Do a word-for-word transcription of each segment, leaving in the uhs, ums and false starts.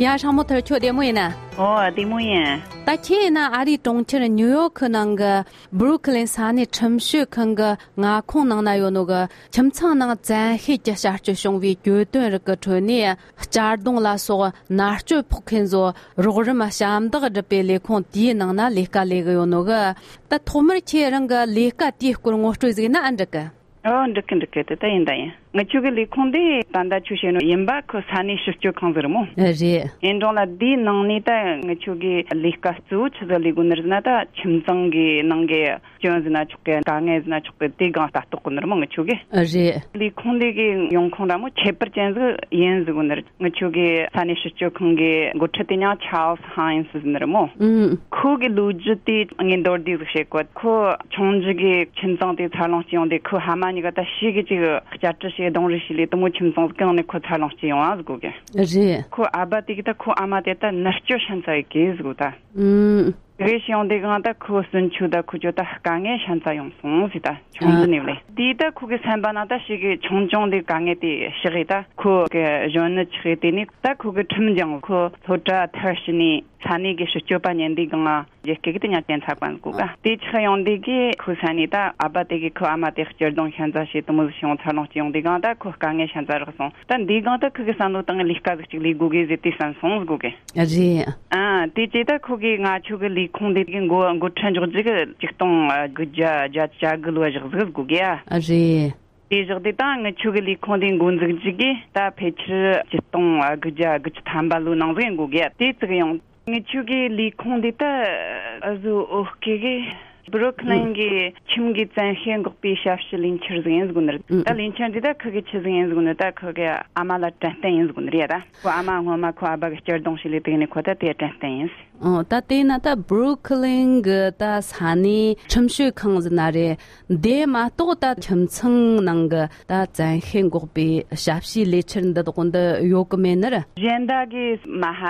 ཡ། ཧྲ་མོ་ཐར། ཁྱོད་བདེ་མོ་ཡིན་ན། ཨོ། བདེ་མོ་ཡིན། ད་ཁྱེད་ཡིན་ན་ཨ་རིའི་གྲོང་ཁྱེར་ཉིའུ་ཡོག་གི་ནང་གི་བུ་རུ་ཁི་ལིན་ས་གནས་ཁྲིམས་ཞིབ་ཁང་གི་མངའ་ཁོངས་ནང་ན་ཡོད་ནོ་གི་ཁྱིམ་ཚང་ནང་བཙན་ཤེད་ཀྱི་བྱ་སྤྱོད་བྱུང་བའི་གྱོད་དོན་རིགས་ཀྱི་ཁྲོད་ནས། གཅར་རྡུང་ལ་སོགས་མནར་གཅོད་ཕོག་མཁན་ཚོ་རོགས་རམ་ཞབས་འདེགས་སྒྲུབ་པའི་ལས་ཁུངས་དེའི་ནང་ན་ལས་ཀ་ལས་གི་ཡོད་ནོ་གི། ད་ཐོག་མར་ཁྱེད་རང་གི་ལས་ཀ་དེའི་སྐོར་ངོ་སྤྲོད་ཟིག་ན་ཨ་འགྲིག་གི། ཨོ། འགྲིག་གི་འགྲིག་གི། དེ་ད་ཡིན་ད་ཡིན། ང་ཆོ་གི་ལས་ཁུངས་དེ་ད་ལྟ་ཆོ་བཤད་ནོ་ཡིན་པ་ཁོ་ས་གནས་ཞིབ་དཔྱོད་ཁང་ཟིག་རེད་མོ། རེད། ཡིན་རུང་ལ་དེའི་ནང་ནས་ད་ང་ཆོ་གི་ལས་ཀ་གཙོ་བོ་ཆི་ཟིག་ལས་དགོས་ནི་རེད་ན། ད་ཁྱིམ་ཚང་གི་ནང་གི་སྐྱོན་ཟེར་ན་ཆོག་གི། དཀའ་ངལ་ཟེར་ན་ཆོག་གི། དེ་སྒང་ལྟ་རྟོག་གི་ནི་རེད་མོ་ང་ཆོ་གི། རེད། ལས་ཁུངས་དེ་གི་ཡོང་ཁུངས་ར་མོ་ཁྱད་པར་ཅན་ཟིག་ཡིན་ཟེར་གོ་ནི་རེད། ང་ཆོ་གི་ས་གནས་ཞིབ་དཔྱོད་ཁང་གི་འགོ་ཁྲིད་དེ་ཉག་ཆཱལ་ཧན་སི་ཟེར་ནི་རེད་མོ། ཨུམ། ཁོ་གི་ལོ་རྒྱུས་དེ་ངས་མདོར་བསྡུས་ཟིག་བཤད་གོ། ཁོ་ཆུང་འདྲིས་གི་ཁྱིམ་ཚང་དེ་འཚར་ལོངས་སྐྱེ་ཡོང་དེ། ཁོ་ཕ་མ་གཉིས་ཀ་ད་ཤི་གི་ཅིག་བསྐྱར་དྲི་བྱས་རྡུང་རེས་བྱས་ལས་དེ་མོ་ཁྱིམ་ཚང་ཟིག་གང་ནས་ཁོ་འཚར་ལོངས་སྐྱེ་ཡོང་ཨ་ཟེར་གོ་གི། རེད། ཁོ་ཨ་བ་དེ་གི་ད་ཁོ་ཨ་མ་དེ་ད་མནར་གཅོད་ཤན་ཚ་ཡི་གི་ཟེར་གོ་ད། ཨུམ། དེ་གི་ཤི་ཡོང་དེ་གང་ད་ཁོ་སུན་ཆུ་ད་ཁོ་ཅོ་ད་དཀའ་ངལ་ཤན་ཚ་ཡོང་སོང་ཟེར། ད་ཆུང་ཨ། འདྲིས་ནས་ལས་དེ་ད་ཁོ་གི་སེམས་པ་ན་ད་ཤི་གི་ཆུང་ཆུང་དེ་དཀའ་ངལ་དེ་ཤི་གི། ད་ཁོ་གི་གཞོན་ནུ་ཆགས་དེ་ནས་ད་ཁོ་གི་ཁྲིམས་སྦྱངས། ཁོ་སློབ་གྲྭ་མཐར་ཕྱིན་ནས་ས་གནས་གི་ཞིབ་དཔྱོད་པ་ཉན་དེ་གང་ང་རྒྱལ་སྐད་གི་དེ་ཉག་ཅན་ཚ་གོན་གོ་ག། དེ་ཆགས་ཡོང་དེ་གི་ཁོ་ས་ནས་ད་ཨ་བ་དེ་གི་ཁོ་ཨ་མ་དེ་གཅར་རྡུང་ཤན་ཚ་བྱས་དེ་མོ་ཟིག་བྱུང་འཚར་ལོངས་སྐྱེ་ཡོང་དེ་གང་ད་ཁོ་དཀའ་ངལ་ཤན་ཚ་རག་སོང་། ད་འདི་གང་ད་ཁོ་གི་བསམ་བློ་བཏང་ལས་ཀ་ཟིག་ཅིག་ལས་དགོས་གི་ཟེར་དེ་བསམ་སོང་ཟེར་གོ་གི། རེད། ཨ། དེ་བྱས་ད་ཁོ་གི་ང་ཆོ་གི་ལས་ཁུངས་དེ་གི་འགོ་འགོ་ཁྲིད་འཇོག་རྒྱུ་གི་ཆིག་སྟོང་དགུ་བརྒྱ་བརྒྱད་ཅུ་གྱ་དགུ་ལོ་བཞག་ཟིག་གོ་གི་ཨ། རེད། དེ་བཞག་དེ་ད་ང་ཆོ་གི་ལས་ཁུངས་དེ་འགོ་འཛུགས་རྒྱུ་གི་ད་ཕལ་ཆེར་ཆིག་སྟོང་དགུ་བརྒྱ་དགུ་བཅུ་ཐམ་པ་ལོའི་ནང་ཟིག་གོ་གི་ཨ། དེ་བརྩིགས་ཡོང་། ང་ཆོ་གི་ལས་ཁུངས་དེ་ད་ཨ་ཟུ་ཨོ་ཀེ་གི་བུ་རུ་ཁི་ལིན་གི་ཁྱིམ་གི་བཙན་ཤེད་འགོག་པའི་ཞབས་ཞུ་ལས་འཆར་ཟིག་ཡིན་ཟེར་གོ་ནི་རེད། ཨུ། ད་ལས་འཆར་འདི་ད་ཁུ་གི་ཆི་ཟིག་ཡིན་ཟེར་གོ་ནི། ད་ཁུ་གི་ཨ་མ་ལ་དྲན་རྟེན་ཡིན་ཟེར་གོ་ནི་རེད། ད་ཁོ་ཨ་མ་སྔོན་མ་ཁོ་ཨ་བ་གི་གཅར་རྡུང་བྱས་ལས་དེ་ནས་ཁོ་ད་དེ་དྲན་རྟེན་ཡིན། ཨོ། ད་དེ་ན་ད་བུ་རུ་ཁི་ལིན་གི་ད་ས་གནས་ཁྲིམས་ཞིབ་ཁང་ཟེར་ན་རེད། དེ་མ་གཏོགས་ད་ཁྱིམ་ཚང་ནང་གི་ད་བཙན་ཤེད་འགོག་པའི་ཞབས་ཞུའི་ལས་འཆར་འདི་དག་འདི་ཡོད་གི་མེད་ནི་རེད། གཞན་དག་གི་མ་ཧ་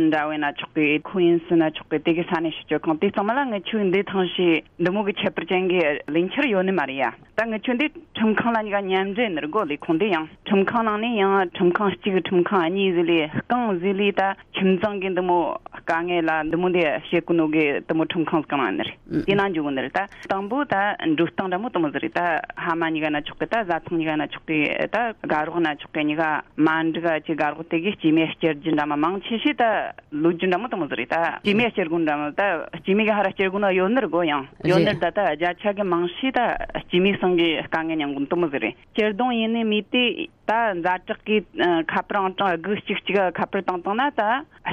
འདྲ་བས་ན་ཆོག་གི། ཁུ་ཡིན་སི་ན་ཆོག་གི། དེ་གི་ས་གནས་ཞིབ་དཔྱོད་ཁང་དེ་ཚང་མ་ལ་ངི་ཆོས་འདི་ཐང་ཞིག་འདི་མོ་གི་ཁྱད་པར་ཅན་གི་ལས་འཆར་ཡོད་ནི་མ་རེད་ཡ། ད་ངི་ཆོས་འདི་ཁྲིམས་ཁང་ལ་གཉིས་ཀ་མཉམ་འབྲེལ་ནི་རེད་གོ། ལས་ཁུངས་འདི་ཡང་ཁྲིམས་ཁང་ནང་ནས་ཡང་ཁྲིམས་ཁང་གཅིག་ཁྲིམས་ཁང་གཉིས་ཟེར་ལས་རྐང་ཟེར་ལས་ད་ཁྱིམ་ཚང་གི་འདི་མོ་དཀའ་ངལ་ལ་འདི་མོ་འདི་བྱེད་གོ་ནོ་གི་འདི་མོ་ཁྲིམས་ཁང་གང་ལ་ནི་རེད། ཨུ། དེ་ན་འཇུག་གོ་ནི་རེད། ད་དང་པོ་ད་འགྲོ་སྟངས་འདྲ་མོ་དེ་མོ་ཟིག་རེད། ད་ཕ་མ་གཉིས་ཀ་ན་ཆོག་གི། ད་བཟའ་ཚང་གཉིས་ཀ་ན་ཆོག་གི། ད་དགའ་རོགས་ན་ཆོག་གི། གཉིས་ཀ་མ་འགྲིག་ག་ཅིག་དགའ་རོགས་དེ་གི་སྐྱེས་མའི་སྐྱེར་རྒྱུ་འདྲ་མོ་མང་ཆེ་ཤོས་ད་ལོ་རྒྱུས་འདྲ་མོ་དེ་མོ་ཟིག་རེད། ད་སྐྱེས་མའི་སྐྱེར་དགོས་འདྲ་མོ། ད་སྐྱེས་མའི་གི་ཧ་ར་སྐྱེར་དགོས་ན་ཡོད་ནི་རེད་གོ། ཡང་ཡོད་ནི་རེད། ད་ད་བརྒྱ་ཆ་གི་མང་ཤོས་ད་སྐྱེས་མའི་སང་གི་དཀའ་ངལ་མྱངས་གོ་ནི་དེ་མོ་ཟིག་རེད། སྐྱེར་སྡོང་ཡིན་ནི་མེད་དེ་ད་ཛ་དྲག་གི་ཁ་པར་ཨང་གྲངས་དགུ་གཅིག་གཅིག་ཁ་པར་བཏང་བཏང་ན་ད་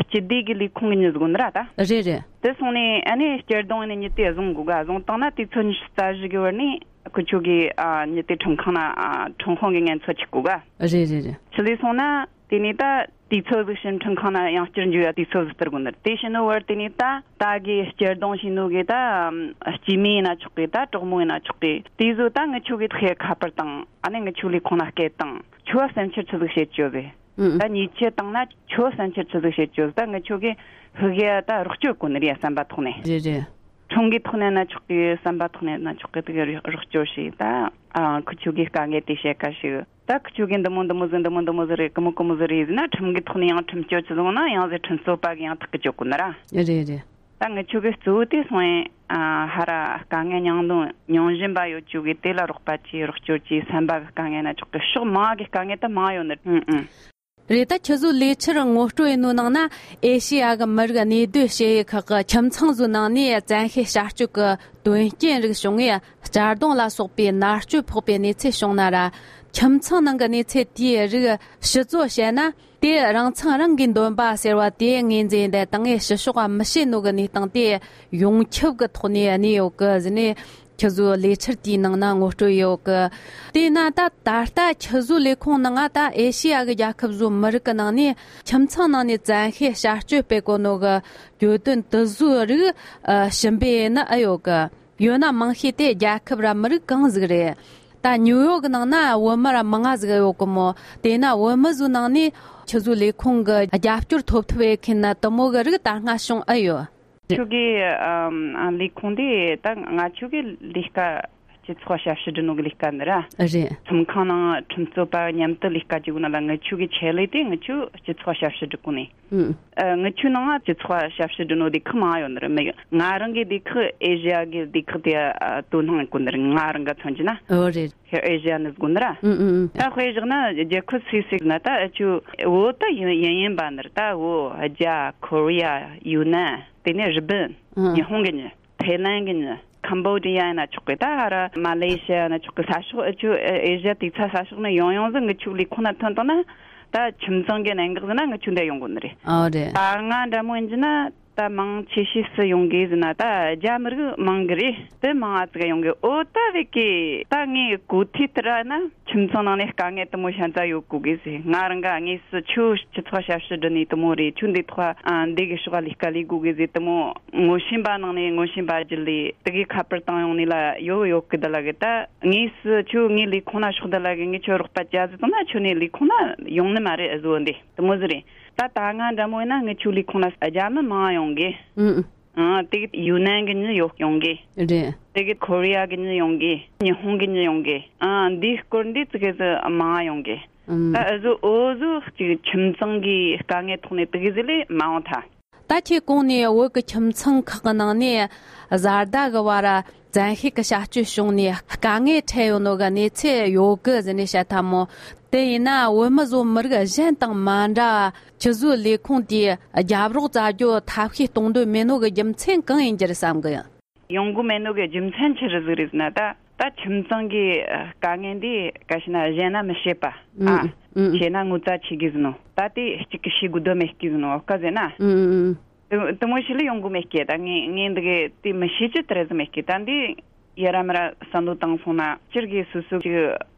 སྤྱི་བདེ་གི་ལས་ཁུངས་གི་མྱི་ཟིག་གོ་ནི་ར་ད། རེད་རེད། དེ་སོང་ནས་ཨ་ནི་སྐྱེར་སྡོང་ཡིན་ནི་མྱི་དེ་བཟུང་དགོས་ག། བཟུང་བཏང་ན་དུས་ཚོད་ཉི་ཤུ་རྩ་བཞི་གི་བར་ནས་ཁུ་ཆོ་གི་ཨ་མྱི་དེ་ཁྲིམས་ཁང་ན་ཨ་ཁྲིམས་དཔོན་གི་ངན་ཚོད་ཅིག་གོ་ག། རེད་རེད་རེད། ཆི་ལས་སོང་ན། དེ་ནས་ད་དུས་ཚོད་ཟིག་ཕྱིན་ཁྲིམས་ཁང་ན་ཡང་བསྐྱར་འཇུག་ཡ་དུས་ཚོད་ཟིག་སྟེར་དགོས་ནི་རེད། དེ་ཕྱིན་ནོ་བར་དེ་ནས་ད་ད་གི་སྐྱེར་སྡོང་བྱས་ནོ་གི་ད་སྐྱེས་མ་ཡིན་ན་ཆོག་གི། ད་གྲོགས་མོ་ཡིན་ན་ཆོག་གི། དེ་ཚོ་ད་ངི་ཆོ་གི་ཐོག་ཁ་པར་བཏང་། ཨ་ནི་ངི་ཆོ་ལས་ཁུངས་ན་སྐད་བཏང་། ཁྱོད་བསམ་འཆར་ཆི་ཟིག་བཤད་ཆོག་ཟེར། ཨུ། ད་ཉེས་ཆད་བཏང་ན་ཁྱོད་བསམ་འཆར་ཆི་ཟིག་བཤད་ཆོག་ཟེར། ད་ངི་ཆོ་གི་ཧི་གི་ད་རོགས་སྐྱོར་དགོས་ནི་རེད། བསམ་པ་ཐོག་ནས། རེད་རེད། ཁྲིམས་གི་ཐོག་ནས་ན་ཆོག་གི། བསམ་པ་ཐོག་ནས་ན་ཆོག་གི། དེ་གི་རོགས་སྐྱོར་བྱས། ད་ཨ་ཁུ་ཆོ་གི་དཀའ་ངལ་དེ་བཤད་ཁ་ཞིག། ད་ཁུ་ཆོ་གི་འདི་མོ་འདི་མོ་ཟིག་འདི་མོ་འདི་མོ་ཟིག་རེད། ཀི་མོ་ཀི་མོ་ཟིག་རེད་ཟེར་ན་ཁྲིམས་གི་ཐོག་ནས་ཡང་ཁྲིམས་གཅོད་ཆི་ཟིག་ན་ཡང་ཟེར་ཁྲིམས་རྩོད་པ་གི་ཡང་ཐག་གི་གཅོད་དགོས་ནི་ར། རེད་རེད། ད་ངི་ཆོ་གི་གཙོ་བོ་དེ་སོང་ཡིན། ཨ་ཧ་ར་དཀའ་ངལ་མྱངས་དོན་མྱོང་བཞིན་པ་ཡོད་ཆོ་གི་དེ་ལ་རོགས་པ་བྱས། རོགས་སྐྱོར་བྱས། བསམ་པ་གི་དཀའ་ངལ་ན་ཆོག་གི། ཕྱོགས་མང་གི་དཀའ་ངལ་ད་མང་ཡོད་ནི། ཨུ་ཨུ། རེད། ད་ཁྱེད་ཚོའི་ལས་འཆར་ངོ་སྤྲོད་ཡིན་ནོ་ནང་ན་ཨེ་ཤེ་ཡ་གི་མི་རིགས་གནས་སྡོད་བྱེད་ཡུལ་ཁག་གི་ཁྱིམ་ཚང་ཚོའི་ནང་ནས་བཙན་ཤེད་བྱ་སྤྱོད་ཀྱི་དོན་རྐྱེན་རིགས་བྱུང་ངས་གཅར་རྡུང་ལ་སོགས་པའི་མནར་གཅོད་ཕོག་པའི་གནས་ཚུལ་བྱུང་ན་ར། ཁྱིམ་ཚང་ནང་གི་གནས་ཚུལ་དེའི་རིགས་ཕྱི་བཟོ་བྱས་ན། དེ་རང་ཚང་རང་གི་འདོན་པ་ཟེར་བ་དེ་ངོས་འཛིན་དེ་དང་ངས་ཕྱི་ཕྱོགས་མི་བྱེད་ནོ་གི་གནས་སྟངས་དེ་ཡོངས་ཁྱབ་ཀྱི་ཐོག་ནས་གནས་ཡོད་གི་ཟེར་ནས། ཁྱེད་ཚོའི་ལས་འཆར་དེའི་ནང་ན་ངོ་སྤྲོད་ཡོད་གི། དེས་ན་ད་ད་ལྟ་ཁྱེད་ཚོའི་ལས་ཁུངས་ནང་ང་ད་ཨེ་ཤེ་ཡ་གི་རྒྱལ་ཁབ་བཟོ་མི་རིགས་ཀྱི་ནང་ནས་ཁྱིམ་ཚང་ནང་ནས་བཙན་ཤེད་བྱ་སྤྱོད་སྤེལ་གོ་ནོ་གི་གྱོད་དོན་དེ་ཚོའི་རིགས་ཨ་ཞིབ་འབད་ཡས་ནི་ཨེ་ཡོད་གི། ཡོད་ན་མང་ཤོས་དེ་རྒྱལ་ཁབ་ར་མི་རིགས་གང་ཟིག་རེད། ད་ཉིའུ་ཡོག་གི་ནང་ན་བོད་མི་ར་མང་ང་ཟིག་ཡོད་གི་མོ། དེས་ན་བོད་མི་ཚོའི་ནང་ནས་ཁྱེད་ཚོའི་ལས་ཁུངས་ཀྱི་རྒྱབ་སྐྱོར་ཐོབ་ཐུབ་ཡས་མཁན་ན་དེ་མོ་གི་རིགས་ད་སྔ་བྱུང་ཨེ་ཡོད། ཁྱོད་ཀྱི་ཨམ་ལས་ཁུངས་དེ་ད་ང་ཆོ་གི་ལས་ཀ་ སྤྱི་ཚོགས་ཞབས་ཞུ་སྒྲུབ་ནོ་གི་ལས་ཀ་འདི་ར། རེད། ཚོམས་ཁང་ནང་ཁྲིམས་རྩོད་པ་མཉམ་དུ་ལས་ཀ་བྱེད་དགོས་ན་ལ། ངི་ཆོ་གི་ཆེད་ལས་དེ་ངི་ཆོ་སྤྱི་ཚོགས་ཞབས་ཞུ་སྒྲུབ་གོ་ནི། ཨུ། ཨ། ངི་ཆོའི་ནང་ང་སྤྱི་ཚོགས་ཞབས་ཞུ་སྒྲུབ་ནོ་སྡེ་ཁག་མང་ཡོད་ནི་རེད། མི་ཡོད། ང་རང་གི་སྡེ་ཁག་ཨེ་ཤི་ཡ་གི་སྡེ་ཁག་དེ་ཨ་དོ་སྣང་གོ་ནི་རེད། ང་རང་ག་མཚོན་གྱི་ན། ཨོ་རེད། ཁེ་ཨེ་ཤི་ཡ་ནི་དགོས་ནི་ར། ཨུ་ཨུ་ཨུ། ད་དཔེ་བཞག་ན་རྒྱལ་ཁབ་སུ་ཞིག་ན་ད་ཨ་ཆོ་བོད་ད་ཡིན་ཡིན་ཡིན་པ་ནི་རེད། ད་བོད་རྒྱ་ཁོ་རི་ཡ་ཡུན་ནན་དེ་ནས་རི་པིན་ཨུ། ཉི་ཧོང་གི་ནི། ཐའི་ལན་གི་ནི། ཁམ་བོ་ཌི་ཡ་ཡིན་ན་ཆོག་གི། ད་ཧ་ར་མ་ལེ་ཤི་ཡ་ཡིན་ན་ཆོག་གི། ས་ཕྱོགས་ཨ་ཆོ་ཨེ་ཤི་ཡ་དེ་ཚ་ས་ཕྱོགས་ནས་ཡོང་ཡོང་ཟིག་ངི་ཆོའི་ལས་ཁུངས་ན་ཐོན་བཏང་ན། ད་ཁྱིམ་ཚང་གི་གནད་འགག་ཟིན་ན་ངི་ཆོ་འདི་ཡོང་དགོས་ནི་རེད། ཨོ་རེད། ད་ང་འདྲ་མོ་ཡིན་གྱི་ན། ད་མང་ཆེ་ཤོས་སུ་ཡོང་གི་ཟིན་ན་ད་རྒྱ་མི་རིགས་མང་གི་རེད། དེ་མང་ཨ་ཙི་ག་ཡོང་གི། ཨོ་ད་བེ་ཀི་ད་ངས་གོ་ཐོས་ལྟར་ན། ཁྱིམ་ཚང་ནང་ནས་དཀའ་ངལ་དེ་མོ་ཤ་ཚ་ཡོད་གོ་གི་ཟེར། ང་རང་ག་དངོས་སུ་ཁྱོད་སྤྱི་ཚོགས་ཞབས་ཞུ་སྒྲུབ་ནི་དེ་མོ་རེད། ཁྱོད་འདི་ཐོག་ཨ་འདི་གི་ཕྱོགས་ལས་ཀ་ལས་དགོས་གི་ཟེར། དེ་མོ་ངོ་ཤེས་པ་ནང་ནས་ངོ་ཤེས་པ་བརྒྱུད་ལས་དེ་གི་ཁ་པར་བཏང་ཡོང་ནི་ལ་ཡོད་ཡོད་གི། འདི་ལ་གི་ད་དངོས་སུ་ཁྱོད་ངའི་ལས་ཁུངས་ན་ཕྱོགས་འདི་ལ་གི་ངས་ཁྱོད་རོགས་པ་བྱ་ཟེར་བཏང་ན་ཁྱོད་ནས་ལས་ཁུངས་ན་ཡོང་ནི་མ་རེད། ཨ་བཟོ་འདི་དེ་མོ་ཟིག་རེད། ད་ད་ང་འདྲ་མོ་ཡིན་ན་ངི་ཆོའི་ལས་ཁུངས་ན་རྒྱ་མི་མང་ཡོང་གི། ཨུ། ཨ། དེ་གི་ཡུན་ནན་གི་མྱི་ཡོད་ཡོང་གི། རེད། དེ་གི་ཁོ་རི་ཡ་གི་མྱི་ཡོང་གི། ཉི་ཧོང་གི་མྱི་ཡོང་གི། ཨ། འདིའི་སྐོར་འདི་ཙི་གེ་ཙི་མང་ཡོང་གི། ཨུམ། ད་ཨ་ཟོ་ཨོ་ཟོ་ཅིག་ཁྱིམ་ཚང་གི་དཀའ་ངལ་ཐོག་ནས་དེ་གི་ཟི་ལས་མ་འོང་ཐལ། ད་ཁྱེད་གོང་ནས་བོད་ཀྱི་ཁྱིམ་ཚང་ཁག་གི་ནང་ནས་བཟའ་ཟླ་གི་བར་བཙན་ཤེད་ཀྱི་བྱ་སྤྱོད་བྱུང་ནས་དཀའ་ངལ་འཕྲད་ཡོད་ནོ་གི་གནས་ཚུལ་ཡོད་གི་ཟེར་ནས་བཤད་ཐལ་མོ། དེ་ཡིན་ན་བོད་མི་བཟོ་མི་རིགས་གཞན་དང་མ་འདྲ་བ། ཁྱེད་ཚོའི་ལས་ཁུངས་དེས་རྒྱབ་རོགས་བྱ་རྒྱུ་ཐབས་ཤེས་གཏོང་འདོད་མེད་ནོ་གི་རྒྱུ་མཚན་གང་ཡིན་རྒྱུ་རེད་བསམ་གི། ཡོང་གི་མེད་ནོ་གི་རྒྱུ་མཚན་ཆི་རེད་ཟིག་རེད་ཟེར་ན། ད་ད་ཁྱིམ་ཚང་གི་དཀའ་ངལ་འདི་ག་ཤེད་ན་གཞན་ན་མི་བཤད་པ། ཨ། ཨུ་ཨུ། བཤད་ན་ངོ་ཚ་ཆེ་གི་ཟེར་ནོ། ད་དེ་གཅིག་གི་ཤེས་དགོས་དོན་མེད་གི་ཟེར་ནོ་ཨོ་ཀ་ཟེར་ན། ཨུ་ཨུ་ཨུ། དེ་དེ་མོ་ཞིག་ལ་ཡོང་གི་མེད་གི། ད་ངས་ངས་འདི་གི་དེ་མི་ཤེས་ཀྱི་དེ་རེད་ཟེར་མེད་གི། ད་འདི་ཡ་ར་མ་ར་བསམ་བློ་བཏང་སོང་ན་སྤྱིར་གི་སོ་སོ་གི་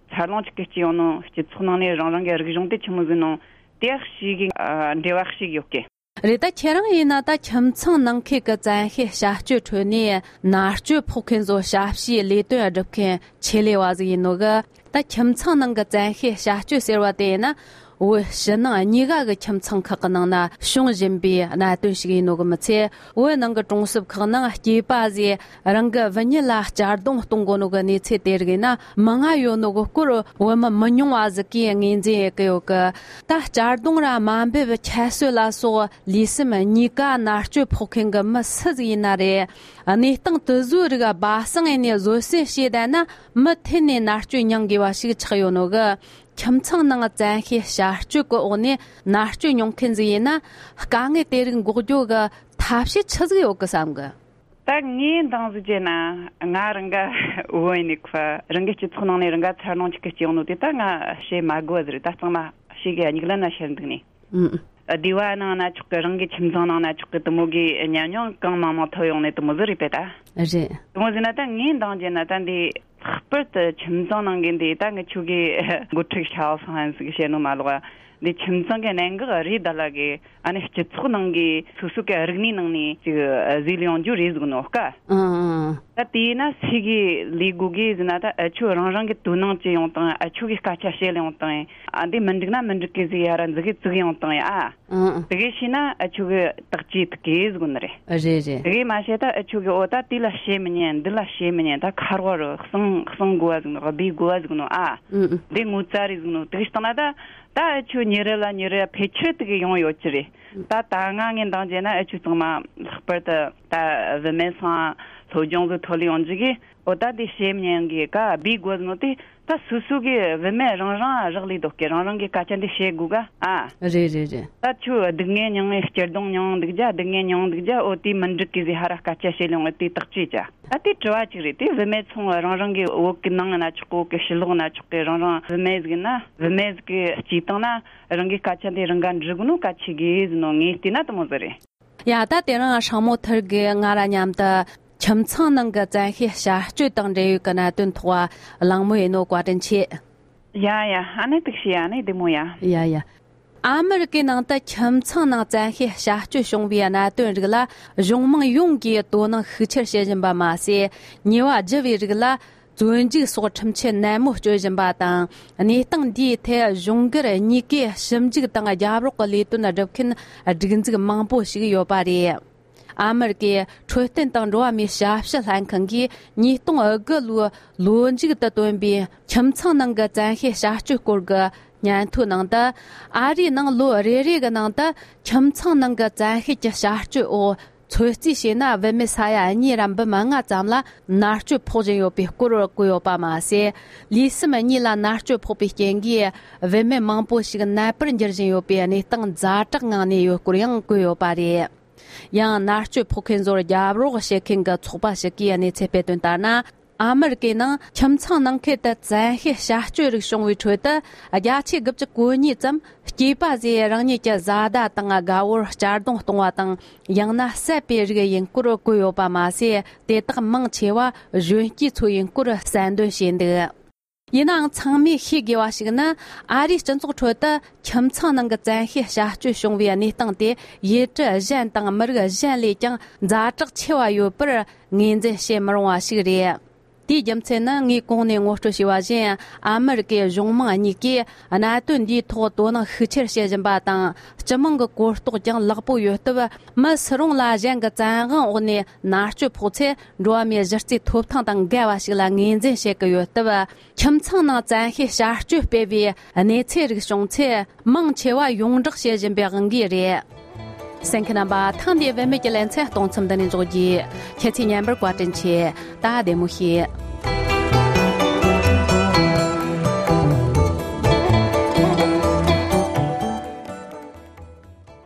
འཚར་ལོངས་ཅིག་གི་སྐྱེ་ཡོང་ནོ། སྤྱི་ཚོགས་ནང་ནས་རང་རང་གི་རིག་གཞུང་དེ་ཆི་མོ་ཟིག་ནོ་དེ་ཞིག་གི་ཨ་འབྲེལ་བ་ཞིག་ཡོད་གི། རེད། ད་ཁྱེད་རང་ཡིན་ན་ད་ཁྱིམ་ཚང་ནང་ཁུལ་གྱི་བཙན་ཤེད་བྱ་སྤྱོད་ཁྲོད་ནས་མནར་གཅོད་ཕོག་མཁན་ཚོ་ཞབས་ཞུའི་ལས་དོན་སྒྲུབ་མཁན་ཆེད་ལས་བ་ཟིག་ཡིན་ནོ་གི། ད་ཁྱིམ་ཚང་ནང་གི་བཙན་ཤེད་བྱ་སྤྱོད་ཟེར་བ་དེ་ཡིན་ན། བོད་ཕྱི་ནང་གཉིས་ཀ་གི་ཁྱིམ་ཚང་ཁག་གི་ནང་ན་བྱུང་བཞིན་པའི་གནད་དོན་ཞིག་ཡིན་ནོ་གི་མི་ཚད། བོད་ནང་གི་གྲོང་གསེབ་ཁག་ནང་སྐྱེས་པ་ཟིག་རང་གི་བུད་མེད་ལ་གཅར་རྡུང་གཏོང་གོ་ནོ་གི་གནས་ཚུལ་དེ་རིགས་ཡིན་ན་མང་ང་ཡོད་ནོ་གི་སྐོར་བོད་མི་མི་ཉུང་བ་ཟིག་གིས་ངོས་འཛིན་ཡེད་གི་ཡོད་གི། ད་གཅར་རྡུང་ར་དམའ་འབེབས་ཁྱད་གསོད་ལ་སོགས་ལུས་སེམས་གཉིས་ཀ་མནར་གཅོད་ཕོག་མཁན་གི་མི་སུ་ཟིག་ཡིན་ན་རེད། གནས་སྟངས་དེ་ཚོའི་རིགས་སྦ་གསང་ཡས་ནས་བཟོད་བསྲན་བྱས་བསྡད་ན་མུ་མཐུད་ནས་མནར་གཅོད་མྱང་དགོས་པ་ཞིག་ཆགས་ཡོད་ནོ་གི། ཁྱིམ་ཚང་ནང་བཙན་ཤེད་བྱ་སྤྱོད་ཀྱི་འོག་ནས་མནར་གཅོད་མྱོང་མཁན་ཟིག་ཡིན་ན་དཀའ་ངལ་དེ་རིགས་འགོག་རྒྱུ་གི་ཐབས་ཤེས་ཆི་ཟིག་ཡོད་གི་བསམ་གི། ད་ངས་འདང་ཟིག་བྱས་ན་ང་རང་ག་བོད་ཡིན་ནི་ཁོ་རང་གི་སྤྱི་ཚོགས་ནང་ནས་རང་ག་འཚར་ལོངས་ཅིག་གི་སྐྱེ་ཡོང་ནོ་དེ་ད་ང་བཤད་མ་དགོས་པ་ཟིག་རེད། ད་གཙང་མ་ཤེས་གི། སྙིགས་ལམ་ན་ཤར་འདུག་ནི། ཨུམ། སྡེ་བ་ནང་ན་ཆོག་གི། རང་གི་ཁྱིམ་ཚང་ནང་ན་ཆོག་གི། དེ་མོ་གི་ཉམས་མྱོང་གང་མང་མང་ཐོབ་ཡོང་ནི་དེ་མོ་ཟིག་རེད་པས་ད། རེད། དེ་མོ་ཟིག་ན་ད་ངས་འདང་བྱས་ན་ད་འདི་ལྷག་པར་དུ་ཁྱིམ་ཚང་ནང་གི་འདི་ད་ངི་ཆོ་གི་འགོ་ཁྲིད་ཞའོ་ཧྥང་ཧན་ཟིག་བཤད་ནོ་མ་ལོག་འདི་ཁྱིམ་ཚང་གི་གནད་འགག་རེད། ད་ལ་གི་ཨ་ནི་སྤྱི་ཚོགས་ནང་གི་སོ་སོ་གི་རིག་གནས་ནང་ནས་ཅིག་ཟིག་ལ་ཡོང་རྒྱུ་རེད་ཟིག་ནོ་ཀ། ཨང་ཨང་། ད་དེས་ན་སུ་གི་ལས་དགོས་གི་ཟེར་ན། ད་ཨ་ཆོ་རང་རང་གི་དོ་སྣང་ཅི་ཡོང་དང་། ཨ་ཆོ་གི་སྐད་ཆ་བཤད་ལ་ཡོང་དང་། ཨ་འདི་མི་འགྲིག་ན་མི་འགྲིག་གི་ཟིག་ཡ་ར་འཛི་གི་བཙུགས་ཡོང་དང་ཡ། ཨ། ཨང་ཨང་། དེ་གི་ཤེས་ན་ཨ་ཆོ་གི་བརྟག་དཔྱད་ཐུབ་གི་ཟིག་ནི་རེད། རེད་རེད། དེ་གི་མ་བཤད་ད་ཨ་ཆོ་གི་འོ་ད་དེ་ལ་བཤད་མི་ཉན། འདི་ལ་བཤད་མི་ཉན། ད་ཁ་རོག་རུ་གསང་གསང་དགོས་པ་ཟིག་ནོ། སྦས་དགོས་པ་ཟིག་ནོ་ཨ། ཨང་ཨང་། འདི་ངོ་ཚ་རེད་ཟིག་ནོ། དེ་གི་སྟེང་ན་ད་ད་ཨ་ཆོ་ཉེ་རབས་ལ་ཉེ་རབས་ཕལ་ཆེར་དེ་གི་ཡོང་ཡོད་ཀྱི་རེད། ད་ད་ང་ངས་འདང་བྱས་ན་ཨ་ཆོ་ཚང་མ་ལྷག་པར་དུ་ད་བུད་མེད་ཚང་སློབ་སྦྱོང་ཟིག་ཐོབ་ལ་ཡོང་རྒྱུ་གི། འོ་ད་འདི་བཤད་མི་ཉན་གི་ཀ་སྦས་དགོས་ནོ་དེ། ད་སོ་སོ་གི་བུད་མེད་རང་རང་རག་ལས་འདུག་གི། རང་རང་གི་སྐད་ཆ་འདི་བཤད་དགོས་ག་ཨ། རེད་རེད་རེད། ད་ཁྱོད་སྡུག་བསྔལ་མྱངས་ནས་སྐྱིད་སྡུག་མྱངས་འདུག་རྒྱ། སྡུག་བསྔལ་མྱངས་འདུག་རྒྱ། འོ་དེ་མི་འགྲིག་གི་ཟིག་ཧ་ར་སྐད་ཆ་བཤད་ལ་ཡོང་དེ་བརྟག་དཔྱད་བྱ། ད་དེ་དྲི་བ་གཅིག་རེད། དེ་བུད་མེད་ཚང་རང་རང་གི་བོད་གི་ནང་ན་ཆོག་གི། བོད་གི་ཕྱི་ལོགས་ན་ཆོག་གི། རང་རང་བུད་མེད་ཟིག་ན་བུད་མེད་ཟིག་གི་སྤྱི་བཏང་ན་རང་གི་སྐད་ཆ་འདི་རང་ག་འདྲི་དགོས་ནོ་གལ་ཆེ་གི་ཟེར་ནོ་ངས་བལྟས་ན་དེ་མོ་ཟིག་རེད། ཡ། ད་དེ་རིང་ཧྲང་མོ་ཐར་གིས་ང་ར་མཉམ་དུ་ཁྱིམ་ཚང་ནང་གི་བཙན་ཤེད་བྱ་སྤྱོད་དང་འབྲེལ་ཡོད་ཀྱི་གནད་དོན་ཐོག་གླེང་མོལ་ཡེད་ནོ་བཀའ་དྲིན་ཆེ། ཡ་ཡ། ཨ་ནི་ཐུགས་རྗེ་ཆེ། ཨ་ནི་བདེ་མོ་ཡ། ཡ་ཡ། ཨ་མི་རི་ཀའི་ནང་དུ་ཁྱིམ་ཚང་ནང་བཙན་ཤེད་བྱ་སྤྱོད་བྱུང་བའི་གནད་དོན་རིགས་ལ་གཞུང་མང་ཡོངས་ཀྱིས་དོ་སྣང་ཤུགས་ཆེར་བྱེད་བཞིན་པ་མ་ཟད། ཉེས་པ་བགྱི་བའི་རིགས་ལ་བཙོན་འཇུག་སོགས་ཁྲིམས་ཆད་ནན་མོ་གཅོད་བཞིན་པ་དང་། གནས་སྟངས་འདིའི་ཐད་གཞུང་སྒེར་གཉིས་ཀས་ཞིབ་འཇུག་དང་རྒྱབ་རོགས་ཀྱི་ལས་དོན་སྒྲུབ་མཁན་སྒྲིག་འཛུགས་མང་པོ་ཞིག་ཡོད་པ་རེད། ཨ་མི་རི་ཀའི་འཕྲོད་བསྟེན་དང་འགྲོ་བ་མིའི་ཞབས་ཞུ་ལྷན་ཁང་གིས་ཉིས་སྟོང་དགུ་ལོའི་ལོ་མཇུག་ཏུ་བཏོན་པའི་ཁྱིམ་ཚང་ནང་གི་བཙན་ཤེད་བྱ་སྤྱོད་སྐོར་གྱི་སྙན་ཐོའི་ནང་དུ། ཨ་རིའི་ནང་ལོ་རེ་རེ་གི་ནང་དུ་ཁྱིམ་ཚང་ནང་གི་བཙན་ཤེད་ཀྱི་བྱ་སྤྱོད་འོག་ཚོད་རྩིས་བྱས་ན། བུད་མེད་ས་ཡ་གཉིས་ར་འབུམ་ལྔ་ཙམ་ལ་མནར་གཅོད་ཕོག་བཞིན་ཡོད་པའི་སྐོར་བཀོད་ཡོད་པ་མ་ཟད། ལུས་སེམས་གཉིས་ལ་མནར་གཅོད་ཕོག་པའི་རྐྱེན་གྱིས་བུད་མེད་མང་པོ་ཞིག་ནད་པར་འགྱུར་བཞིན་ཡོད་པའི་གནས་སྟངས་ཛ་དྲག་ངང་གནས་ཡོད་སྐོར་ཡང་བཀོད་ཡོད་པ་རེད། ཡང་མནར་གཅོད་ཕོག་མཁན་ཚོར་རྒྱབ་རོགས་བྱེད་མཁན་གྱི་ཚོགས་པ་ཞིག་གིས་གནས་ཚུལ་སྤེལ་དོན་ལྟར་ན། ཨ་མི་རི་ཀའི་ནང་ཁྱིམ་ཚང་ནང་ཁུལ་དུ་བཙན་ཤེད་བྱ་སྤྱོད་རིགས་བྱུང་བའི་ཁྲོད་དུ། བརྒྱ་ཆ་དགུ་བཅུ་གོ་གཉིས་ཙམ་སྐྱེས་པ་ཚོས་རང་ཉིད་ཀྱི་བཟའ་ཟླ་དང་དགའ་བོར་གཅར་རྡུང་གཏོང་བ་དང་། ཡང་ན་བསད་པའི་རིགས་ཡིན་སྐོར་བཀོད་ཡོད་པ་མ་ཟད། དེ་དག་མང་ཆེ་བ་གཞོན་སྐྱེས་ཚོ་ཡིན་སྐོར་གསལ་འདོན་བྱས་འདུག་ཡིན་ནའང་ཚང་མས་ཤེས་དགོས་པ་ཞིག་ནི། ཨ་རིའི་སྤྱི་ཚོགས་ཁྲོད་དུ་ཁྱིམ་ཚང་ནང་གི་བཙན་ཤེད་བྱ་སྤྱོད་བྱུང་བའི་གནས་སྟངས་དེ་ཡུལ་གྲུ་གཞན་དང་མི་རིགས་གཞན་ལས་ཀྱང་ཛ་དྲག་ཆེ་བ་ཡོད་པར་ངོས་འཛིན་བྱེད་མི་རུང་བ་ཞིག་རེད། དེའི་རྒྱུ་མཚན་ནི། ངས་གོང་ནས་ངོ་སྤྲོད་བྱས་པ་བཞིན། ཨ་མི་རི་ཀའི་གཞུང་མང་གཉིས་ཀས་གནད་དོན་འདིའི་ཐོག་དོ་སྣང་ཤུགས་ཆེར་བྱེད་བཞིན་པ་དང་། སྤྱི་དམངས་ཀྱི་གོ་རྟོགས་ཀྱང་ལེགས་པོ་ཡོད་སྟབས། མི་སུ་རུང་ལ་གཞན་གྱི་བཙན་དབང་འོག་ནས་མནར་གཅོད་ཕོག་ཚེ། འགྲོ་བ་མིའི་གཞི་རྩའི་ཐོབ་ཐང་དང་འགལ་བ་ཞིག་ལ་ངོས་འཛིན་བྱེད་ཀྱི་ཡོད་སྟབས། ཁྱིམ་ཚང་ནང་བཙན་ཤེད་བྱ་སྤྱོད་སྤེལ་བའི་གནས་ཚུལ་རིགས་བྱུང་ཚེ། མང་ཆེ་བ་ཡོངས་བསྒྲགས་བྱེད་བཞིན་པའི་དབང་གིས་རེད། གསན་མཁན་རྣམ་པ། ཐེངས་འདིའི་བུད་མེད་ཀྱི་ལེ་ཚན་གཏོང་མཚམས་འདི་ནས་འཇོག་རྒྱུ། ཁྱེད་ཚོས་ཉན་པར་བཀའ་དྲིན་ཆེ། ད་བདེ་མོ་བྱོས།